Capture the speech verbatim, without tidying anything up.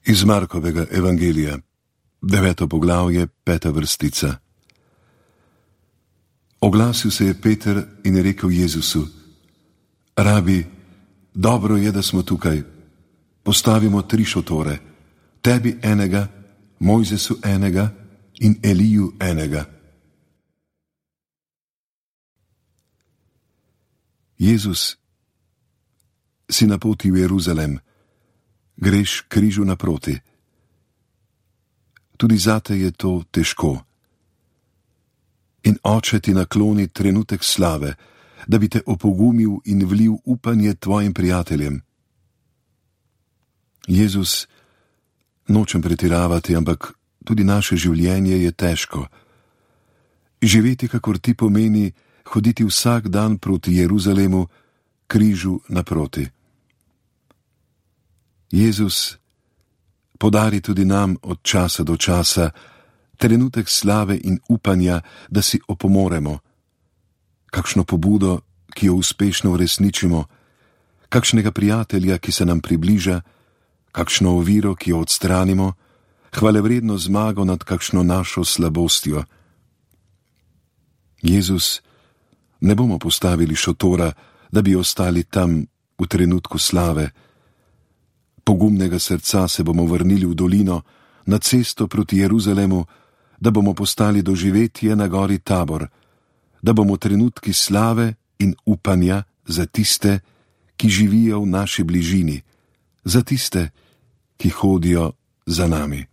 Iz Markovega evangelija, deveto poglavje, peta vrstica. Oglasil se je Peter in je rekel Jezusu: Rabi, dobro je, da smo tukaj. Postavimo tri šotore, tebi enega, Mojzesu enega in Eliju enega. Jezus, si na poti v Jeruzalem, greš križu naproti. Tudi zate je to težko. In Oče ti nakloni trenutek slave, da bi te opogumil in vlil upanje tvojim prijateljem. Jezus, nočem pretiravati, ampak tudi naše življenje je težko. Živeti, kakor ti, pomeni hoditi vsak dan proti Jeruzalemu, križu naproti. Jezus, podari tudi nam od časa do časa trenutek slave in upanja, da si opomoremo, kakšno pobudo, ki jo uspešno uresničimo, kakšnega prijatelja, ki se nam približa, kakšno oviro, ki jo odstranimo, hvalevredno zmago nad kakšno našo slabostjo. Jezus, ne bomo postavili šotora, da bi ostali tam v trenutku slave. Pogumnega srca se bomo vrnili v dolino, na cesto proti Jeruzalemu, da bomo postali doživetje na gori Tabor, da bomo trenutki slave in upanja za tiste, ki živijo v naši bližini, za tiste, ki hodijo za nami.